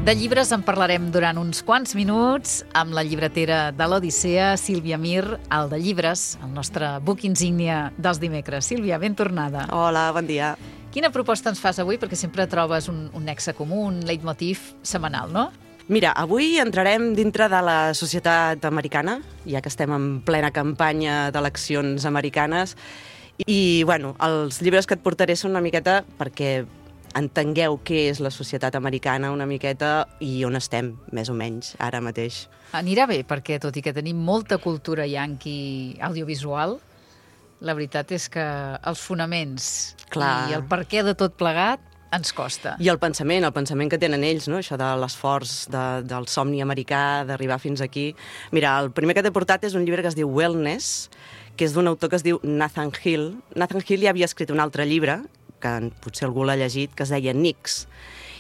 De llibres en parlarem durant uns quants minuts amb la llibretera de l'Odissea, Sílvia Mir, al de llibres, el nostre book insígnia dels dimecres. Sílvia, ben tornada. Hola, bon dia. Quina proposta ens fas avui? Perquè sempre trobes un nexe comú, un leitmotiv setmanal, no? Mira, avui entrarem dintre de la societat americana, ja que estem en plena campanya d'eleccions americanes, i, bueno, els llibres que et portaré són una miqueta perquè entengueu què és la societat americana una miqueta i on estem, més o menys, ara mateix. Anirà bé, perquè tot i que tenim molta cultura yanqui audiovisual, la veritat és que els fonaments i el perquè de tot plegat ens costa. I el pensament que tenen ells, no? Això de l'esforç del somni americà, d'arribar fins aquí. Mira, el primer que t'he portat és un llibre que es diu Wellness, que és d'un autor que es diu Nathan Hill. Nathan Hill ja havia escrit un altre llibre, que potser algú l'ha llegit, que es deia Nix.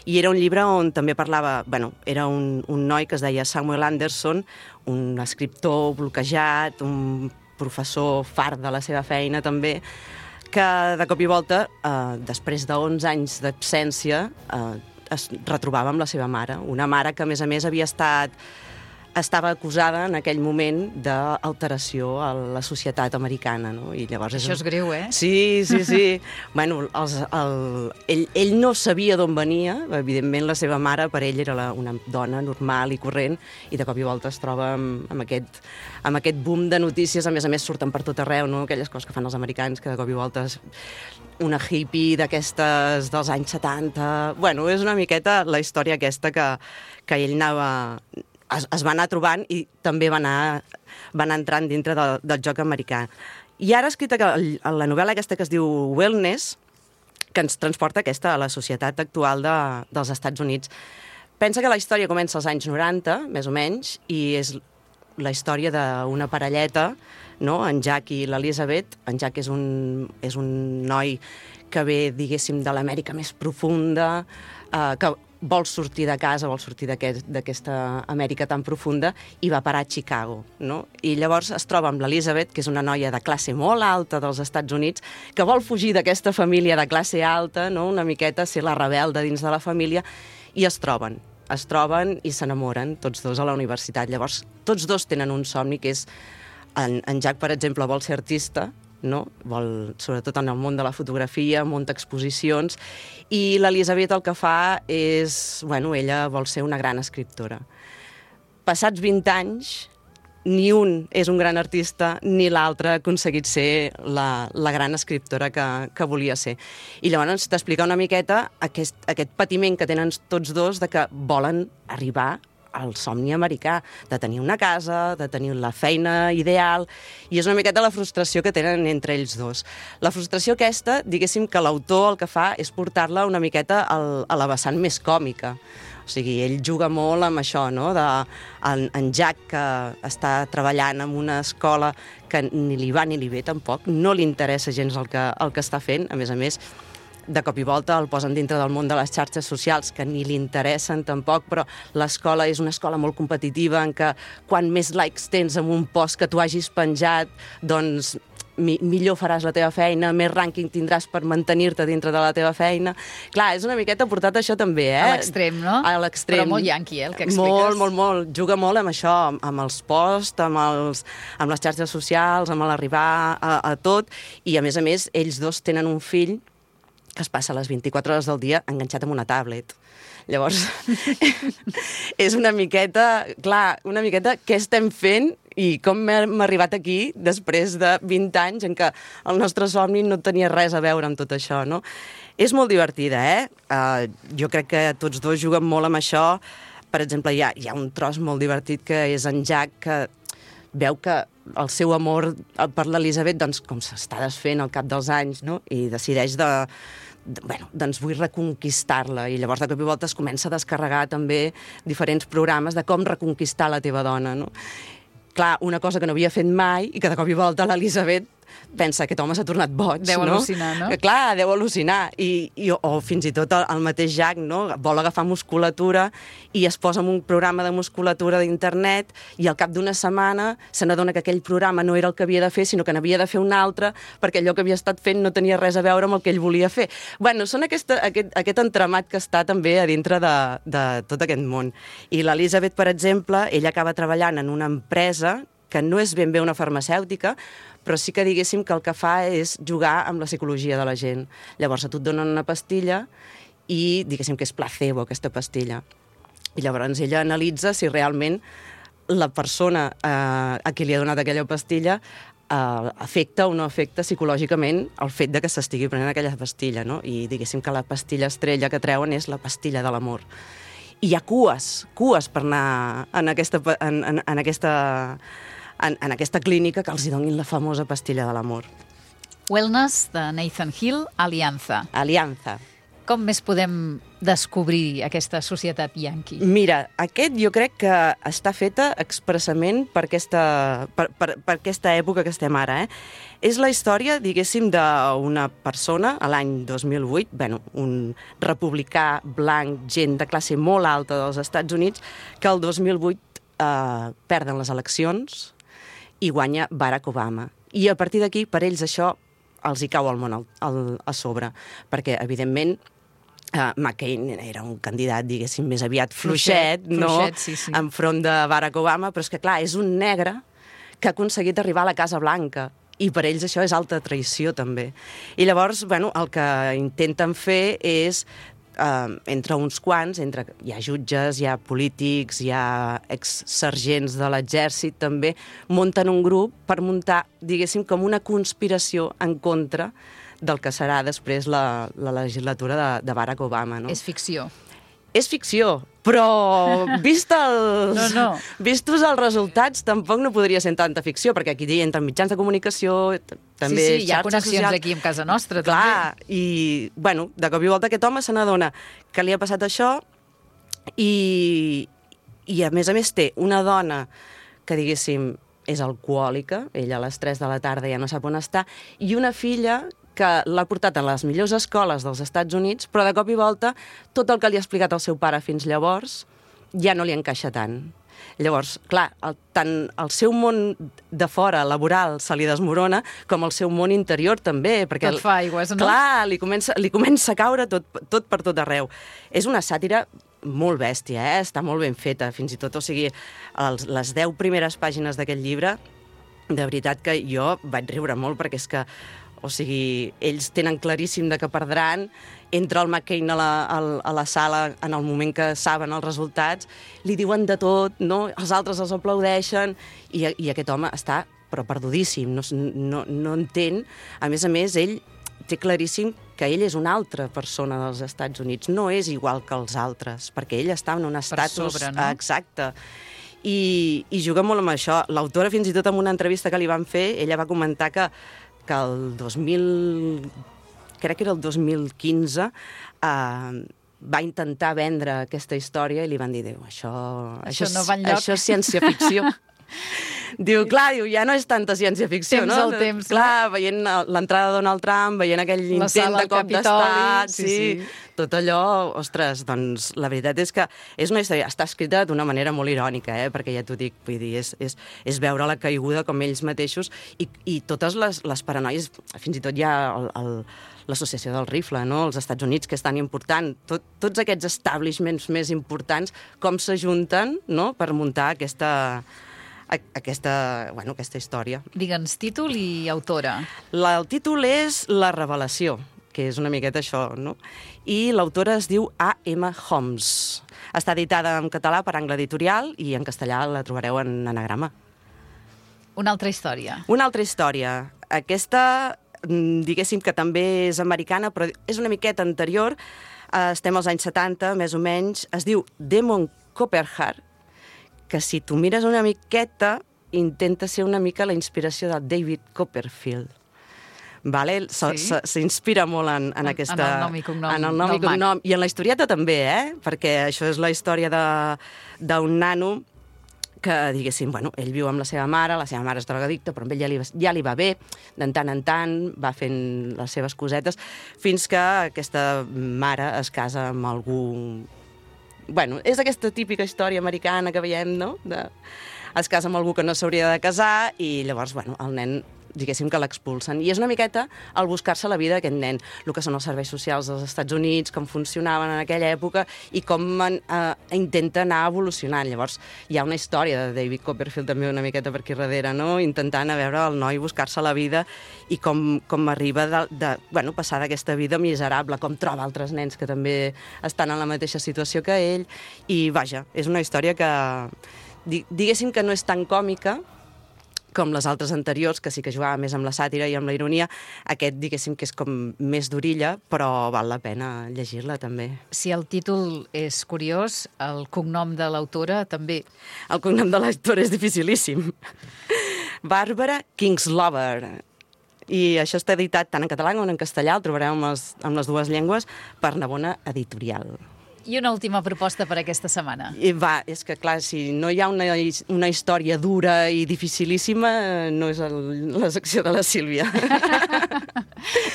I era un llibre on també parlava... era un noi que es deia Samuel Anderson, un escriptor bloquejat, un professor fart de la seva feina també, que de cop i volta, després de 11 anys d'absència, es retrobava amb la seva mare. Una mare que, a més, estava acusada en aquell moment d'alteració a la societat americana, no? I llavors això és greu, eh? Sí. Bueno, ell no sabia d'on venia, evidentment la seva mare per ell era una dona normal i corrent, i de cop i volta es troba amb aquest boom de notícies, a més surten per tot arreu, no? Aquelles coses que fan els americans, que de cop i volta una hippie d'aquestes dels anys 70... Bueno, és una miqueta la història aquesta que ell es va anar trobant i també va anar entrant dintre del joc americà. I ara ha escrit la novel·la aquesta que es diu Wellness, que ens transporta a la societat actual dels Estats Units. Pensa que la història comença als anys 90, més o menys, i és la història d'una parelleta, no? En Jack i l'Elizabeth. En Jack és un noi que ve, diguéssim, de l'Amèrica més profunda, que vol sortir de casa, vol sortir d'aquesta Amèrica tan profunda, i va parar a Chicago, no? I llavors es troba amb l'Elizabeth, que és una noia de classe molt alta dels Estats Units, que vol fugir d'aquesta família de classe alta, no? Una miqueta ser la rebelda dins de la família, i es troben i s'enamoren tots dos a la universitat. Llavors, tots dos tenen un somni, que és... En Jack, per exemple, vol ser artista, no? Sobretot en el món de la fotografia, munta exposicions, i l'Elizabeth el que fa és... ella vol ser una gran escriptora. Passats 20 anys, ni un és un gran artista, ni l'altre ha aconseguit ser la gran escriptora que volia ser. I llavors t'explica una miqueta aquest patiment que tenen tots dos de que volen arribar al somni americà, de tenir una casa, de tenir la feina ideal, i és una miqueta la frustració que tenen entre ells dos. La frustració aquesta, diguéssim que l'autor el que fa és portar-la una miqueta a la vessant més còmica. O sigui, ell juga molt amb això, no? En Jack, que està treballant en una escola que ni li va ni li ve tampoc, no li interessa gens el que està fent, a més, de cop i volta el posen dintre del món de les xarxes socials, que ni li interessen tampoc, però l'escola és una escola molt competitiva en què quan més likes tens en un post que tu hagis penjat, doncs millor faràs la teva feina, més rànquing tindràs per mantenir-te dintre de la teva feina. Clar, és una miqueta portat això també, eh? A l'extrem, no? A l'extrem. Però molt yanqui, el que expliques. Molt. Juga molt amb això, amb els posts, amb les xarxes socials, amb l'arribar a tot, i a més, ells dos tenen un fill que es passa les 24 hores del dia enganxat amb una tablet. Llavors, és una miqueta què estem fent i com hem arribat aquí després de 20 anys en què el nostre somni no tenia res a veure amb tot això, no? És molt divertida, eh? Jo crec que tots dos juguen molt amb això. Per exemple, hi ha un tros molt divertit que és en Jack, que veu que el seu amor per l'Elizabeth, doncs, com s'està desfent al cap dels anys, no? I decideix doncs vull reconquistar-la, i llavors de cop i volta es comença a descarregar també diferents programes de com reconquistar la teva dona, no? Clar, una cosa que no havia fet mai i que de cop i volta l'Elizabeth pensa que aquest home s'ha tornat boig, deu no? Al·lucinar, no? Clar, deu al·lucinar. O fins i tot el mateix Jack, no? Vol agafar musculatura i es posa en un programa de musculatura d'internet i al cap d'una setmana se n'adona que aquell programa no era el que havia de fer, sinó que n'havia de fer un altre, perquè allò que havia estat fent no tenia res a veure amb el que ell volia fer. Bueno, són aquest entramat que està també a dintre de tot aquest món. I l'Elisabet, per exemple, ella acaba treballant en una empresa que no és ben bé una farmacèutica, però sí que diguéssim que el que fa és jugar amb la psicologia de la gent. Llavors a tu et donen una pastilla i diguéssim que és placebo, aquesta pastilla. I llavors ella analitza si realment la persona a qui li ha donat aquella pastilla afecta o no afecta psicològicament el fet de que s'estigui prenent aquella pastilla, no? I diguéssim que la pastilla estrella que treuen és la pastilla de l'amor. I hi ha cues per anar en aquesta clínica que els hi donin la famosa pastilla de l'amor. Wellness, de Nathan Hill, Alianza. Alianza. Com més podem descobrir aquesta societat yanqui? Mira, aquest jo crec que està feta expressament per aquesta època que estem ara. És la història, diguéssim, d'una persona, a l'any 2008, un republicà blanc, gent de classe molt alta dels Estats Units, que el 2008 perden les eleccions i guanya Barack Obama. I a partir d'aquí, per ells això els hi cau el món a sobre, perquè, evidentment, McCain era un candidat, diguéssim, més aviat fluixet, no? Sí. Enfront de Barack Obama, però és que, clar, és un negre que ha aconseguit arribar a la Casa Blanca, i per ells això és alta traïció, també. I llavors, el que intenten fer és, entre uns quants, hi ha jutges, hi ha polítics, hi ha exsergents de l'exèrcit, també, munten un grup per muntar, diguéssim, com una conspiració en contra del que serà després la legislatura de Barack Obama, no? És ficció. És ficció, però vistos els resultats tampoc no podria ser tanta ficció, perquè aquí hi entren mitjans de comunicació, també hi ha connexions aquí en casa nostra. Clar, també. I, de cop i volta aquest home se n'adona que li ha passat això i a més té una dona que, diguéssim, és alcohòlica, ella a les 3 de la tarda ja no sap on està, i una filla que l'ha portat a les millors escoles dels Estats Units, però de cop i volta tot el que li ha explicat el seu pare fins llavors ja no li encaixa tant. Llavors, clar, tant el seu món de fora, laboral, se li desmorona, com el seu món interior també. Perquè tot fa aigües, no? Clar, li comença a caure tot per tot arreu. És una sàtira molt bèstia, està molt ben feta, fins i tot, o sigui, les 10 primeres pàgines d'aquest llibre, de veritat que jo vaig riure molt, perquè és que o sigui, ells tenen claríssim de que perdran, entra el McCain a la sala en el moment que saben els resultats, li diuen de tot, no? Els altres els aplaudeixen, i aquest home està però perdudíssim, no entén. A més, ell té claríssim que ell és una altra persona dels Estats Units, no és igual que els altres, perquè ell està en un estatus... Per sobre, no? Exacte. I juga molt amb això. L'autora, fins i tot en una entrevista que li van fer, ella va comentar que el 2015 va intentar vendre aquesta història i li van dir, això no va enlloc. Això és ciència-ficció. Diu, ja no és tanta ciència-ficció, no? El temps. Clar, veient l'entrada de Donald Trump, veient aquell intent de cop d'estat, sí. Tot allò, ostres, doncs la veritat és que és una història, està escrita d'una manera molt irònica, perquè ja t'ho dic, vull dir, és veure la caiguda com ells mateixos i totes les paranoies, fins i tot hi ha l'associació del rifle, no? Els Estats Units, que és tan important, tots aquests establishments més importants, com s'ajunten, no?, per muntar aquesta història. Digue'ns títol i autora. El títol és La revelació, que és una miqueta això, no? I l'autora es diu A.M. Homs. Està editada en català per Angle Editorial i en castellà la trobareu en anagrama. Una altra història. Una altra història. Aquesta, diguéssim que també és americana, però és una miqueta anterior. Estem als anys 70, més o menys. Es diu Demon Copperheart, que si tu mires una miqueta, intenta ser una mica la inspiració de David Copperfield. Vale? S'inspira molt en aquesta... En el nom i cognom. En el nom i cognom. I en la historieta també, perquè això és la història d'un nano que, diguéssim, bueno, ell viu amb la seva mare és drogadicta, però amb ell ja li va bé, de tant en tant va fent les seves cosetes, fins que aquesta mare es casa amb algú... Bueno, és aquesta típica història americana que veiem, no? Es casa amb algú que no s'hauria de casar i llavors, bueno, el nen, diguéssim que l'expulsen. I és una miqueta el buscar-se la vida d'aquest nen, el que són els serveis socials dels Estats Units, com funcionaven en aquella època i com intenta anar evolucionant. Llavors, hi ha una història de David Copperfield també una miqueta per aquí darrere, no? Intentant a veure el noi buscar-se la vida i com arriba bueno, passar d'aquesta vida miserable, com troba altres nens que també estan en la mateixa situació que ell. I, vaja, és una història que, diguéssim que no és tan còmica com les altres anteriors, que sí que jugava més amb la sàtira i amb la ironia. Aquest, diguéssim, que és com més d'orilla, però val la pena llegir-la, també. Si el títol és curiós, el cognom de l'autora també. El cognom de l'autora és dificilíssim. Bàrbara Kingslover. I això està editat tant en català com en castellà, el trobareu amb les dues llengües, per Navona Editorial. I una última proposta per aquesta setmana. És que, clar, si no hi ha una història dura i dificilíssima, no és la secció de la Sílvia.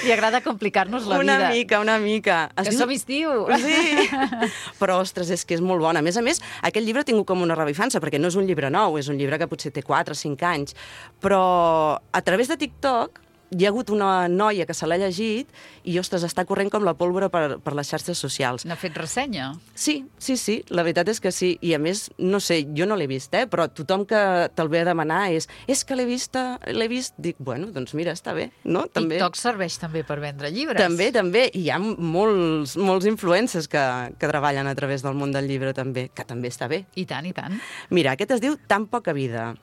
Li agrada complicar-nos la vida. Una mica. Que som estiu. Sí. Però, ostres, és que és molt bona. A més, aquest llibre ha tingut com una revifança, perquè no és un llibre nou, és un llibre que potser té 4 o 5 anys. Però a través de TikTok hi ha hagut una noia que se l'ha llegit i, ostres, està corrent com la pólvora per les xarxes socials. N'ha fet ressenya? Sí, la veritat és que sí. I, a més, no sé, jo no l'he vist, però tothom que te'l ve a demanar és que l'he vist. Dic, bueno, doncs mira, està bé, no? També. TikTok serveix també per vendre llibres. També. I hi ha molts influencers que treballen a través del món del llibre, també, que també està bé. I tant, i tant. Mira, aquest es diu Tan poca vida.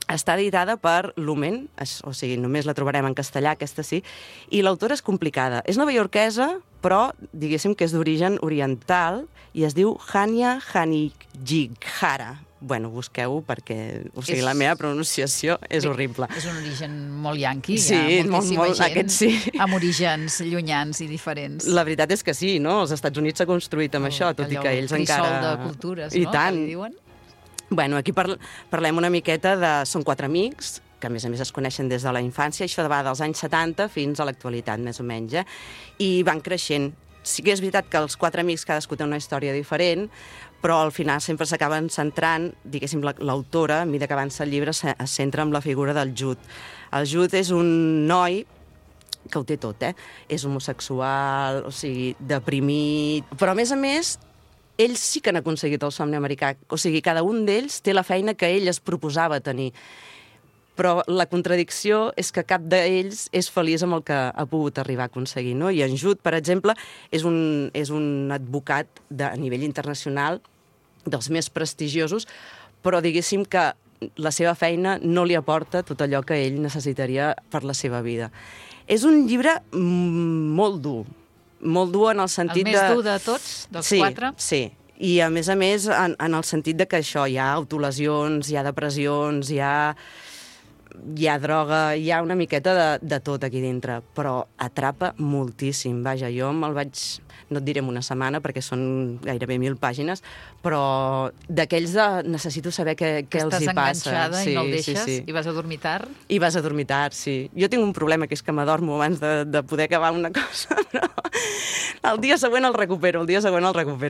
Està editada per Lumen, o sigui, només la trobarem en castellà, aquesta sí, i l'autora és complicada. És novaiorquesa, però diguéssim que és d'origen oriental, i es diu Hania Hanijihara. Bueno, busqueu perquè, o sigui, la meva pronunciació és horrible. És un origen molt yanqui, sí, hi ha moltíssima gent aquest sí. Amb orígens llunyans i diferents. La veritat és que sí, no? Els Estats Units s'ha construït amb això, tot i que ells encara... Crisol de cultures, no? I tant. Que li diuen. Bueno, aquí parlem una miqueta de... Són 4 amics, que a més es coneixen des de la infància, això va dels anys 70 fins a l'actualitat, més o menys, i van creixent. Sí que és veritat que els 4 amics cadascú té una història diferent, però al final sempre s'acaben centrant, diguéssim, l'autora, a mesura que avança el llibre, es centra en la figura del Jude. El Jude és un noi que ho té tot, És homosexual, o sigui, deprimit, però a més, ells sí que han aconseguit el somni americà. O sigui, cada un d'ells té la feina que ell es proposava tenir. Però la contradicció és que cap d'ells és feliç amb el que ha pogut arribar a aconseguir, no? I en Jude, per exemple, és un advocat a nivell internacional dels més prestigiosos, però diguéssim que la seva feina no li aporta tot allò que ell necessitaria per la seva vida. És un llibre molt dur en el sentit de... El més dur de tots, dels 4? Sí, i a més en el sentit de que això, hi ha autolesions, hi ha depressions, hi ha droga, hi ha una miqueta de tot aquí dintre, però atrapa moltíssim. Vaja, jo me'l vaig... No et diré en una setmana, perquè són gairebé 1.000 pàgines, però d'aquells necessito saber què els hi passa. Estàs enganxada i no el deixes? Sí. I vas a dormir tard? I vas a dormir tard, sí. Jo tinc un problema, que és que m'adormo abans de poder acabar una cosa, però el dia següent el recupero,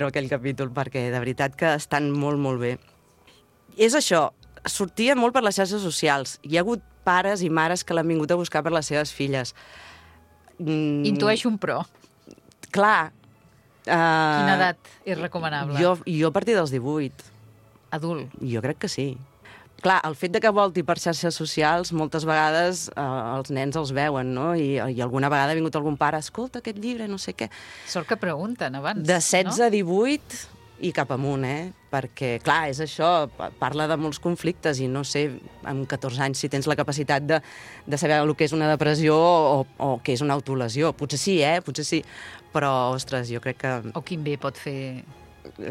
aquell capítol, perquè de veritat que estan molt, molt bé. És això, sortia molt per les xarxes socials. Hi ha hagut pares i mares que l'han vingut a buscar per les seves filles. Intueixo un pro. Clar. Quina edat és recomanable? Jo a partir dels 18. Adult? Jo crec que sí. Clar, el fet de que volti per xarxes socials, moltes vegades els nens els veuen, no? I alguna vegada ha vingut algun pare, escolta aquest llibre, no sé què. Sort que pregunten abans, de 16 a 18 i cap amunt, perquè, clar, és això, parla de molts conflictes i no sé, amb 14 anys, si tens la capacitat de saber el que és una depressió o què és una autolesió. Potser sí, potser sí, però, ostres, jo crec que... O quin bé pot fer...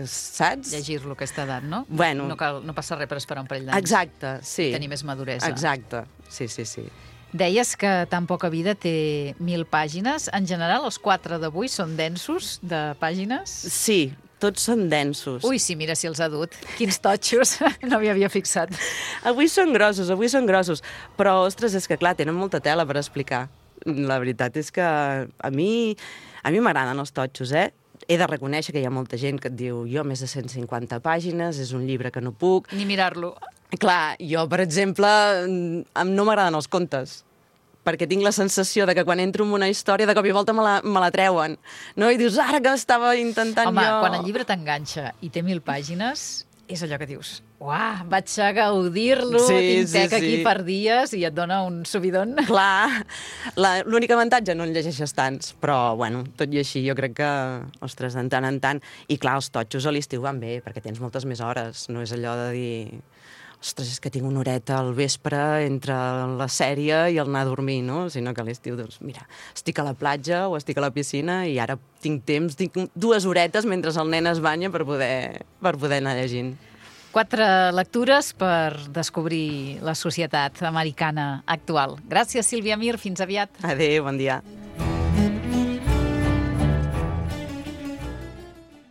Saps? Llegir-lo a aquesta edat, no? Bueno. No passa res per esperar un parell d'anys. Exacte, sí. Tenir més maduresa. Exacte, sí. Deies que Tan poca vida té 1.000 pàgines. En general, els 4 d'avui són densos de pàgines? Sí, tots són densos. Ui, sí, mira si els ha dut. Quins totxos, no m'hi havia fixat. Avui són grossos. Però, ostres, és que clar, tenen molta tela per explicar. La veritat és que a mi m'agraden els totxos, eh? He de reconèixer que hi ha molta gent que et diu jo més de 150 pàgines, és un llibre que no puc. Ni mirar-lo. Clar, jo, per exemple, no m'agraden els contes, perquè tinc la sensació de que quan entro en una història de cop i volta me la treuen. No? I dius, ara que estava intentant Home, jo... quan el llibre t'enganxa i té 1000 pàgines, és allò que dius, uah, vaig a gaudir-lo, tinc tec aquí per dies i et dona un subidon. Clar, l'únic avantatge no en llegeixes tants, però, bueno, tot i així jo crec que, ostres, de tant en tant... I clar, els totxos a l'estiu van bé, perquè tens moltes més hores, no és allò de dir... Ostres, és que tinc una horeta al vespre entre la sèrie i el anar a dormir, no? Sinó que a l'estiu, doncs, mira, estic a la platja o estic a la piscina i ara tinc 2 horetes mentre el nen es banya per poder anar llegint. 4 lectures per descobrir la societat americana actual. Gràcies, Sílvia Mir. Fins aviat. Adéu, bon dia.